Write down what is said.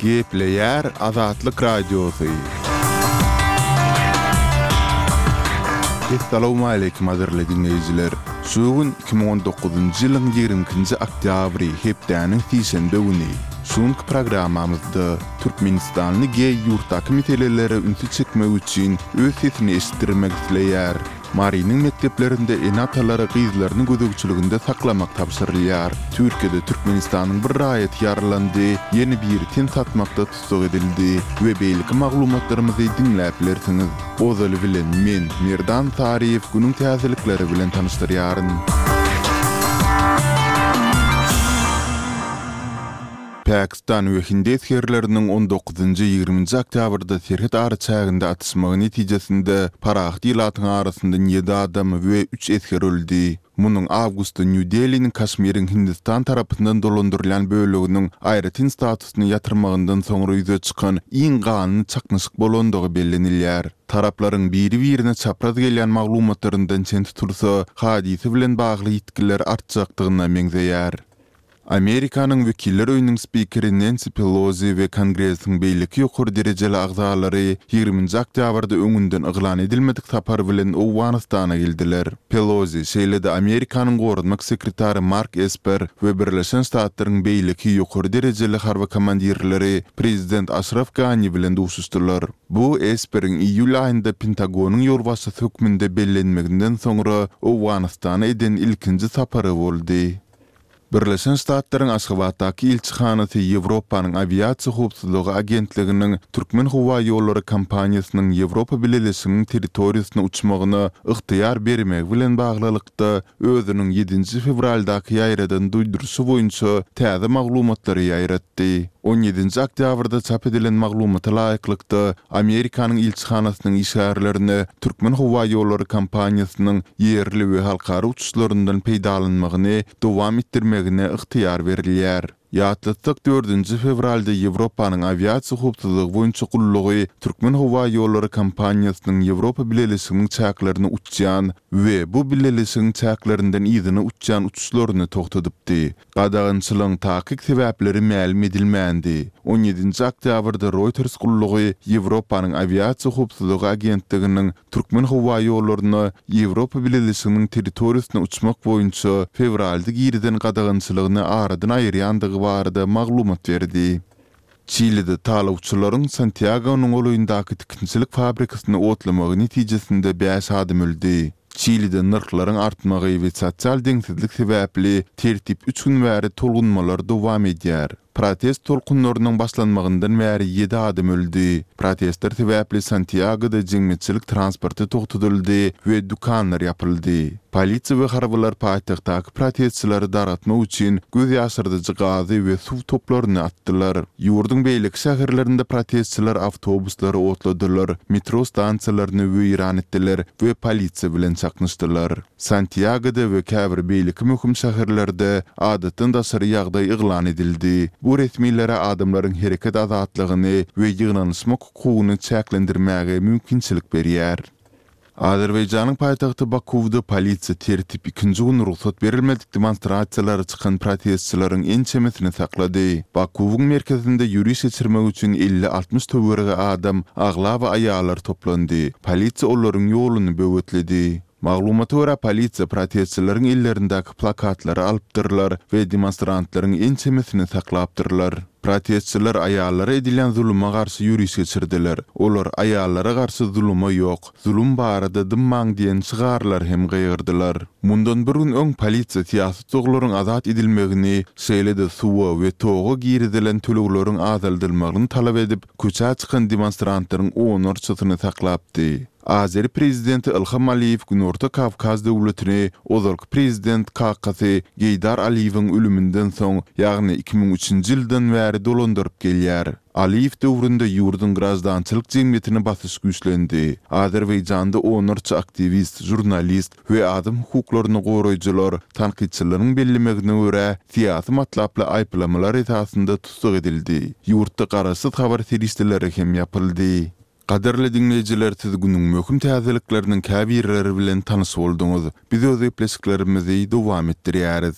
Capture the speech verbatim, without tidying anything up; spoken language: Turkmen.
Gepleýär Azatlyk Radiosy. Essalawmaleýkim gadyrly diňleýjiler! Şu gün iki müň on dokuzynjy ýylyň ýigrimi ikinji oktýabry, hepdäniň sişenbe güni. Şu günki programmamyzda türkmenistanly geý ýurtdaky meselelere ünsi çekmek üçin öz sesini eşitdirmek isleýär. Marynyň mekdeplerinde ene-atalara gyzlaryny gözegçiliginde saklamak tabşyrylýar. Türkiýede Türkmenistanyň bir raýaty ýaralandy, ýene biri ten satmakda tussag edildi we beýleki maglumatlarymyzy diňläp bilersiňiz. Ozaly bilen men, Merdan Saryýew günüň täzelikleri bilen tanyşdyrýaryn. Pakistan we hindi esgerleriniň on dokuzynjy, ýigriminji oktýabrda serhet araçäginde atyşmagy netijesinde parahat ilatyň arasyndan ýedi adam we üç esger öldi. Munuň awgustda Nýu-Deliniň Kaşmiriň Hindistan tarapyndan dolandyrylýan böleginiň aýratyn statusyny ýatyrmagyndan soňra ýüze çykan iň ganly çaknyşyk bolandygy bellenilýär. Taraplaryň biri-birine çapraz gelýän maglumatlaryndan çen tutulsa, hadysa bilen bagly ýitgiler artjakdygyna meňzeýär. Amerikanyň Wekiller öýüniň spikeri Nensi Pelozi we Kongresiň beýleki ýokary derejeli agzalary ýigriminji oktýabrda öňünden yglan edilmedik sapar bilen Owganystana geldiler. Pelozi, şeýle-de Amerikanyň goranmak sekretary Mark Esper we Birleşen Ştatlaryň beýleki ýokary derejeli harby komandirleri prezident Aşraf Gani bilen duşuşdylar. Bu Esperiň iýul aýynda Pentagonyň ýolbaşçysy hökmünde bellenmeginden soňra Owganystana eden ilkinji sapary boldy. Birleşen Ştatlaryň Aşgabatdaky ilçihanasy Ýewropanyň Awiasiýa howpsuzlygy agentliginiň Türkmenhowaýollary kompaniýasynyň Ýewropa Bileleşiginiň territoriýasyna uçmagyna ygtyýar bermegi bilen baglylykda özüniň ýedinji fewraldaky ýaýradan duýduryşy boýunça täze maglumatlary ýaýratdy. On ýedinji oktýabrda çap edilen maglumata laýyklykda, Amerikanyň ilçihanasynyň işgärlerine Türkmenhowaýollary kompaniýasynyň ýerli we halkara uçuşlaryndan peýdalanmagyny dowam etdirmegine ygtyýar berilýär. Ýatlatsak, dördünji fewralda Ýewropanyň awiasiýa howpsuzlygy boýunça gullugy Türkmenhowaýollary kompaniýasynyň Ýewropa Bileleşiginiň çäklerine uçýan we bu bileleşigiň çäklerinden yzyna uçýan uçuşlaryny togtadypdy. Gadagançylygyň takyk sebäpleri mälim edilmändi. On ýedinji oktýabrda Reuters gullugy Ýewropanyň awiasiýa howpsuzlygy agentliginiň Türkmenhowaýollaryna Ýewropa Bileleşiginiň territoriýasyna uçmak boýunça fewralda girizen gadagançylygyny aradan aýyrýandygy barada maglumat berdi. Çilide talawçylaryň Santýagonyň golaýyndaky tikinçilik fabrikasyny otlamagy netijesinde bäş adam öldi. Çilide nyrhlaryň artmagy we sosial deňsizlik sebäpli tertip üç gün bäri tolgunmalar dowam edýär. Protest tolkunlarynyň başlanmagyndan bäri ýedi adam öldi. Protestler sebäpli Santýagoda jemgyýetçilik transporty togtadyldy we dükanlar ýapyldy. Polisiýa we harbylar paýtagtdaky protestçileri dargatmak üçin göz ýaşardyjy gazy we suw toplaryny atdylar. Ýurduň beýleki şäherlerinde protestçiler awtobuslary otladylar, metro stansiýalaryny weýran etdiler we polisiýa bilen çaknyşdylar. Santýagoda we käbir beýleki möhüm şäherlerde adatdan daşary ýagdaý yglan edildi. Bu resmilere adamlaryň hereket azatlygyny we ýygnanyşmak hukugyny çäklendirmäge mümkinçilik berýär. Azerbaýjanyň paýtagty Bakuwda polisiýa tertip ikinji gün rugsat berilmedik demonstrasiýalara çykan protestçileriň ençemesini saklady. Bakuwyň merkezinde ýöriş geçirmek üçin elli-altmyş töweregi adam, aglaba aýallar toplandy. Polisiýa olaryň ýoluny böwetledi. Maglumata görä, polisiýa protestçileriň ellerindäki plakatlary alypdyrlar we demonstrantlaryň ençemesini saklapdyrlar. Protestçiler aýallara edilýän zuluma garşy ýöriş geçirdiler. Olar Aýallara garşy zuluma ýok, zulum barada dymmaň diýen şygarlary hem gygyrdylar. Mundan bir gün öň polisiýa syýasy tussaglaryň azat edilmegini, şeýle-de suwa we toga girizilen tölegleriň azaldylmagyny talap edip, köçä çykan demonstrantlaryň onlarçasyny saklapdy. Azeri prezidenti Ilham Aliýew Günorta Kawkaz döwletini ozalky prezident kakasy Geýdar Aliýewiň ölüminden soň, ýagny iki müň üçünji ýyldan bäri dolandyryp gelýär. Aliýew döwründe ýurduň graždançylyk jemgyýetine basyş güýçlendi. Azerbaýjanda onlarça aktiwist, žurnalist we adam hukuklaryny goraýjylar, tankytçylaryň bellemegine görä, syýasy matlaply aýyplamalar esasynda tussag edildi. Ýurtda garaşsyz habar serişdeleri hem ýapyldy. Gadyrly diňleýjiler siz günüň möhüm täzelikleriniň käbirleri bilen tanyş bolduňyz. Biz öz gepleşiklerimizi dowam etdirýäris.